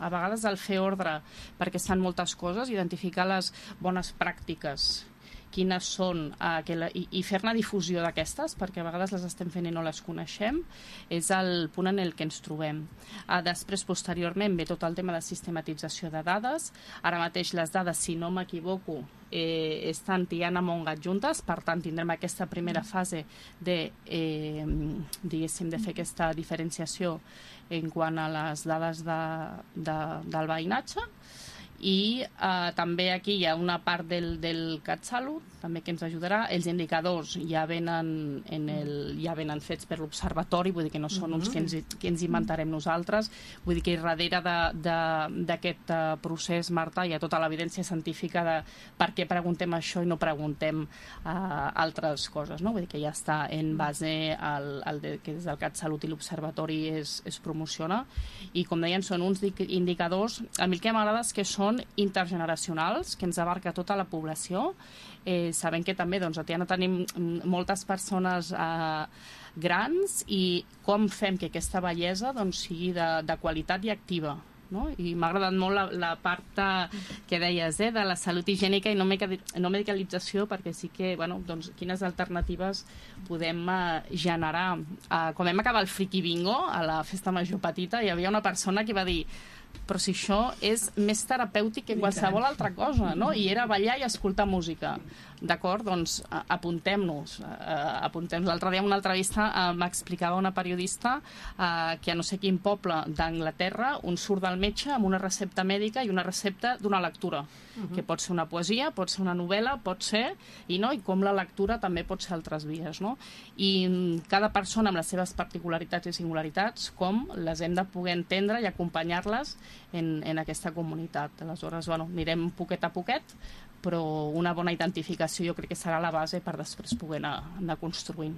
A vegades el fer ordre, perquè es fan moltes coses, identificar les bones pràctiques, quines són, i fer-ne difusió d'aquestes, perquè a vegades les estem fent i no les coneixem, és el punt en el que ens trobem. Després, posteriorment, ve tot el tema de sistematització de dades. Ara mateix les dades, si no m'equivoco, estan Tiana Mongat juntes, per tant tindrem aquesta primera fase de, diguéssim, de fer aquesta diferenciació en quant a les dades del veïnatge. I també aquí hi ha una part del CatSalut també que ens ajudarà. Els indicadors ja venen fets per l'Observatori, vull dir que no són uns que ens inventarem nosaltres, vull dir que darrere d'aquest procés, Marta, hi ha tota l'evidència científica de per què preguntem això i no preguntem altres coses, no? Vull dir que ja està en base que des del CatSalut i l'Observatori es promociona, i com deien són uns indicadors, a mi el que m'agrada és que són intergeneracionals, que ens abarca tota la població. Sabem que també a Tiana tenim moltes persones grans, i com fem que aquesta bellesa sigui de qualitat i activa, no? I m'ha agradat molt la part que deies de la salut higiènica i no medicalització, perquè sí que, quines alternatives podem generar. Quan vam acabar el Friki Bingo a la festa major petita, hi havia una persona que va dir: però si això és més terapèutic que qualsevol altra cosa, no? I era ballar i escoltar música. D'acord? Doncs apuntem-nos. L'altre dia en una entrevista m'explicava una periodista que a no sé quin poble d'Anglaterra un surt del metge amb una recepta mèdica i una recepta d'una lectura, que pot ser una poesia, pot ser una novel·la, pot ser, i com la lectura també pot ser altres vies, no? I cada persona amb les seves particularitats i singularitats, com les hem de poder entendre i acompanyar-les en aquesta comunitat. Aleshores, anirem poquet a poquet, però una bona identificació jo crec que serà la base per després poder anar construint.